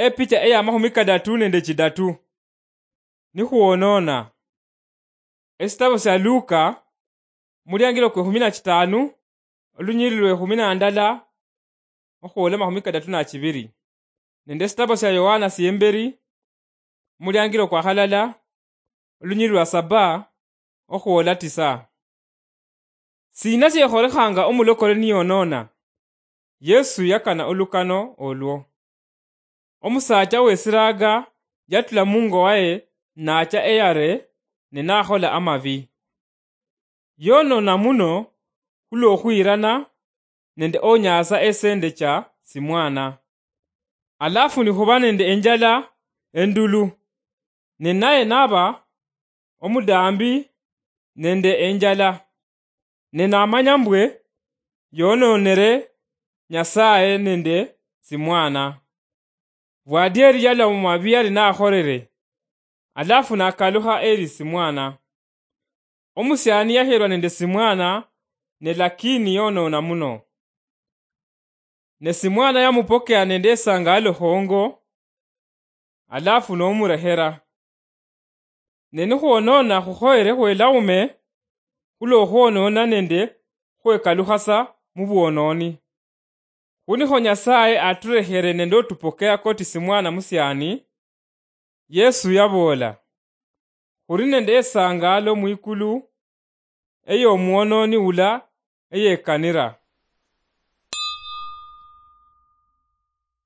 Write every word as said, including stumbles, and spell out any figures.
Epicha eya mahumi kadatu nende chidatu. Nikhuwonona. Esitabo sia Luka, muliangilo kwe khumi na chitanu, olunyiriri lwe khumi na ndala, okhwola mahumi kadatu na chibiri. Nende esitabo sia Yohana siemberi, muliangilo kwa halala, olunyiriri lwa saba, okhwola tisa. Sina siekholekhanga omulokole niyonona? Yesu yakana olukano olwo. Omusaacha wesiraaga yatula mungo waye nacha eyare ne nakhola amabi. Yonona muno khulwokhwirana nende onyaasa esende cha simwana. Alafu nikhuba nende enjala endulu, ne naye naba omudaambi nende enjala, ne namanya mbwe yononere Nyasaye nende simwana. Bwadieri yaloma biyali nakholere, alafu nakalukha eri simwana. Omusiani yaherwa nende simwana, ne lakini yonona muno. Ne simwana yamupokea nende esangaalo khongo, alafu nomurehera. Ne nikhwonona khukhoyere khwelaume, khulwokhwonona nende khwekalukhasa mubwononi. Khunikho Nyasaye aturehere nende otupokea koti simwana musiani, Yesu yaboola, khuli nende esangaalo mwikulu, eyomwononi ula eyekanira.